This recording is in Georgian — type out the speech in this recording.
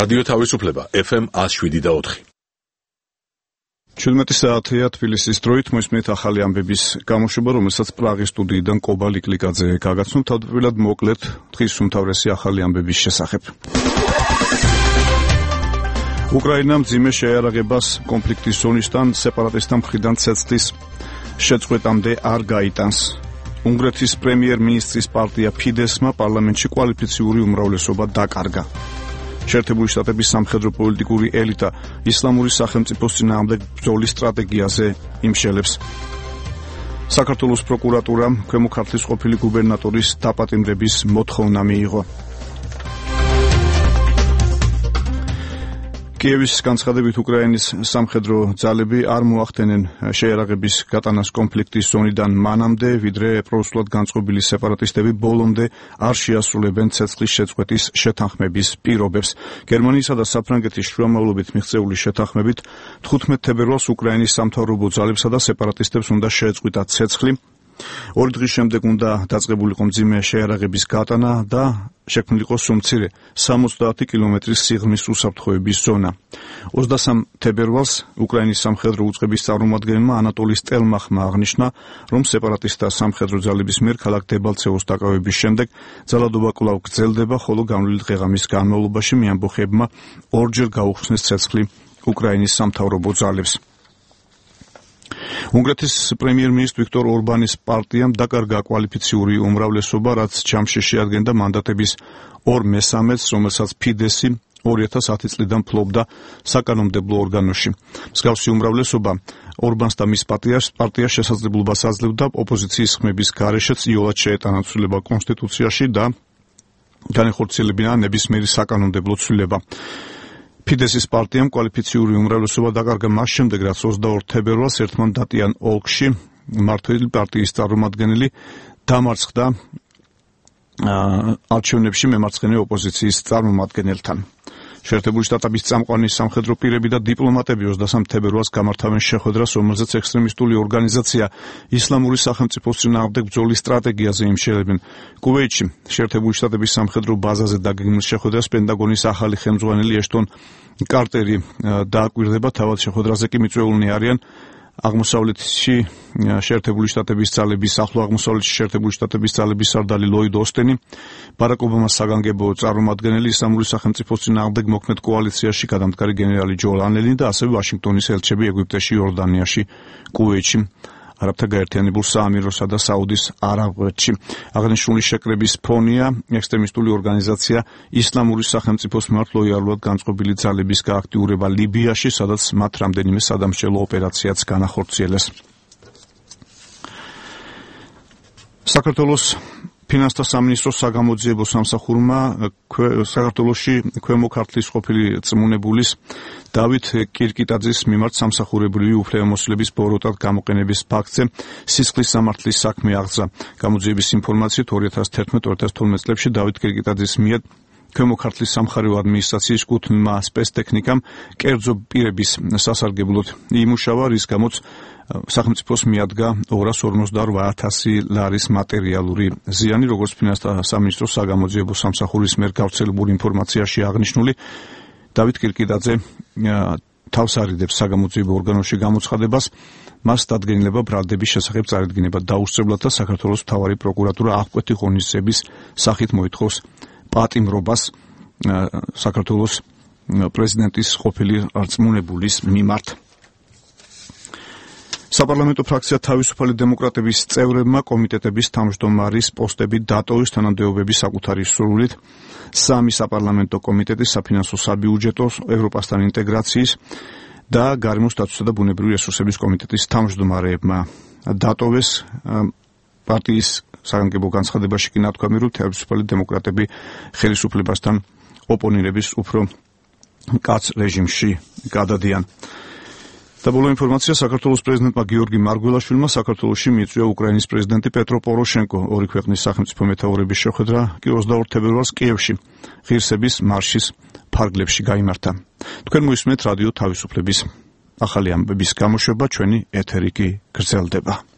რადიო თავისუფლება FM 107.4. 17 საათია თბილისის დროით მოისმენთ ახალი ამბების გამოშვება, რომელსაც პრაღის სტუდიიდან კობა ლიკლიკაძე გაგაცნობ. თავდაპირველად მოკლედ დღის უმთავრესი ახალი ამბების შესახებ. უკრაინა მძიმე შეიარაღებას კონფლიქტის ზონისთან სეპარატისტთა მხრიდან ცეცხლის შეწყვეტამდე არ გაიტანს. უნგრეთის პრემიერ-მინისტრის პარტია ფიდესმა პარლამენტში კვალიფიციური უმრავლესობა დაკარგა. შეერთებული შტატების სამხედრო პოლიტიკური ელიტა ისლამური სახელმწიფოს წინააღმდეგ ბრძოლის სტრატეგიაზე იმშელებს. საქართველოს პროკურატურამ ქვემო ქართლის ყოფილი გუბერნატორის დაპატიმრების მოთხოვნა მიიღო. კიევის განცხადებით უკრაინის სამხედრო ძალები არ მოახდენენ შეიარაღების გატანას კონფლიქტის ზონიდან მანამდე, ვიდრე პროუსულად განწყობილი სეპარატისტები ბოლომდე არ შეასრულებენ ცეცხლის შეწყვეტის შეთანხმების პირობებს. გერმანიისა და საფრანგეთის შუამავლობით მიღწეული შეთანხმებით 15 თებერვალს უკრაინის სამთავრობო ძალებსა და სეპარატისტებს უნდა შეეწყვიტათ ცეცხლი. 2 დღის შემდეგ უნდა დაწყებულიყო მძიმე შეიარაღების გატანა და შექმნილიყო სუმცირე 70 კილომეტრის სიღრმის უსაფრთხოების ზონა. 23 თებერვალს უკრაინის სამხედრო უწყების წარმომადგენელმა ანატოლი სტელმახმა აღნიშნა, რომ სეპარატისტთა სამხედრო ძალების მიერ ქალაქ დებალცევოს დაკავების შემდეგ ძალადობა კვლავ გრძელდება, ხოლო განვლილი დღეღამის განმავლობაში მეამბოხეებმა ორჯერ გაუხსნეს ცეცხლი უკრაინის სამთავრობო ძალებს. უნგრეთის პრემიერ-მინისტр ვიქტორ ორბანის პარტიამ დაკარგა კვალიფიციური უმრავლესობა, რაც ჯამში შეადგენდა მანდატების 2/3-ს, რომელსაც ფიდესი 2010 წლიდან ფლობდა საკანონმდებლო ორგანოში. მსგავსი უმრავლესობა ორბანს და მის პარტიას შესაძლებლობას აძლევდა ოპოზიციის ხმების გარეშეც იოლად შეეტანა ცვლილება კონსტიტუციაში და განეხორციელებინა ნებისმიერი საკანონმდებლო ცვლილება. ფიდესის პარტიამ კვალიფიციური უმრავლესობა დაკარგა მას შემდეგ, რაც 22 თებერვალს ერთმანდატიან ოლქში მმართველი პარტიის წარმომადგენელი დამარცხდა არჩევნებში მემარცხენე ოპოზიციის წარმომადგენელთან. შეერთებული შტატების წამყვანი სამხედრო პირები და დიპლომატები 23 თებერვალს გამართავენ შეხვედრას, რომელზეც ექსტრემისტული ორგანიზაცია ისლამური სახელმწიფოს წინააღმდეგ ბრძოლის სტრატეგიაზე იმშელებენ. კუვეითში შეერთებული შტატების სამხედრო ბაზაზე დაგეგმილ შეხვედრას პენტაგონის ახალი ხელმძღვანელი ეშტონ კარტერი დააკვირდება, თავად შეხვედრაზე კი მიწვეულნი არიან აღმოსავლეთში შეერთებული შტატების ძალების, ახლო აღმოსავლეთში შეერთებული შტატების ძალების სარდალი ლოიდ ოსტენი, ბარაკ ობამას საგანგებო წარმომადგენელი ისლამური სახელმწიფოს წინააღმდეგ მოქმედ კოალიციაში გადამდგარი გენერალი ჯო ლანელი და ასევე ვაშინგტონის ელჩები ეგვიპტეში, იორდანიაში, კუვეითში, არაბთა გაერთიანებულ საამიროსა და საუდის არაბეთში. აღნიშნული შეკრების ფონია ექსტრემისტული ორგანიზაცია ისლამური სახელმწიფოს მიმართ ლოიალურად განწყობილი ძალების გააქტიურება ლიბიაში, სადაც მათ რამდენიმე სადამსჯელო ოპერაციაც განახორციელეს. საქართველოს ფინანსთა სამინისტროს საგამოძიებო სამსახურმა საქართველოში ქვემო ქართლის ყოფილი წმუნებულის დავით კირკიტაძის მიმართ სამსახურებრივი უფლებამოსილების ბოროტად გამოყენების ფაქტზე სისხლის სამართლის საქმე აღძა. გამოძიების ინფორმაციით 2011-2012 წლებში დავით კირკიტაძის მიერ ქვემო ქართლის სამხარეო ადმინისტრაციის კუთვნილმა სპეცტექნიკამ კერძო პირების სასარგებლოდ იმუშავა, რის გამოც სახელმწიფოს მიადგა 258,000 ლარის მატერიალური ზიანი, როგორც ფინანსთა სამინისტროს საგამოძიებო სამსახურის მიერ გავრცელებული ინფორმაციაში აღნიშნული. დავით კირკიტაძე თავს არიდებს საგამოძიებო ორგანოში გამოცხადებას, მას დადგენილება ბრალდების შესახებ წარედგინება დაუსწრებლად და საქართველოს მთავარი პროკურატურა აღკვეთი ღონისძიების სახით მოითხოვს პატიმრობას საქართველოს პრეზიდენტის ყოფილი რწმუნებულის მიმართ. საპარლამენტო ფრაქცია თავისუფალი დემოკრატების წევრებმა კომიტეტების თავმჯდომარის პოსტები დატოვეს თანამდებობების საკუთარი სურვილით. 3 საპარლამენტო კომიტეტი საფინანსო საბიუჯეტო, ევროპასთან ინტეგრაციის და გარემოს დაცვისა და ბუნებრივი რესურსების კომიტეტის თავმჯდომარეებმა დატოვეს. პარტიის საგანგებო განცხადებაში კი ნათქვამი, რომ თავისუფალი დემოკრატები ხელისუფლებასთან ოპონირების უფრო კაც რეჟიმში გადადიან. და ბოლო ინფორმაცია, საქართველოს პრეზიდენტმა გიორგი მარგველაშვილმა საქართველოში მიიწვია უკრაინის პრეზიდენტი პეტრო პოროშენკო. ორი ქვეყნის სახელმწიფო მეთაურების შეხვედრა კი 22 თებერვალს კიევში ღირსების მარშის ფარგლებში გაიმართა. თქვენ მოისმენთ რადიო თავისუფლების ახალი ამბების გამოშვება, ჩვენი ეთერი კი გრძელდება.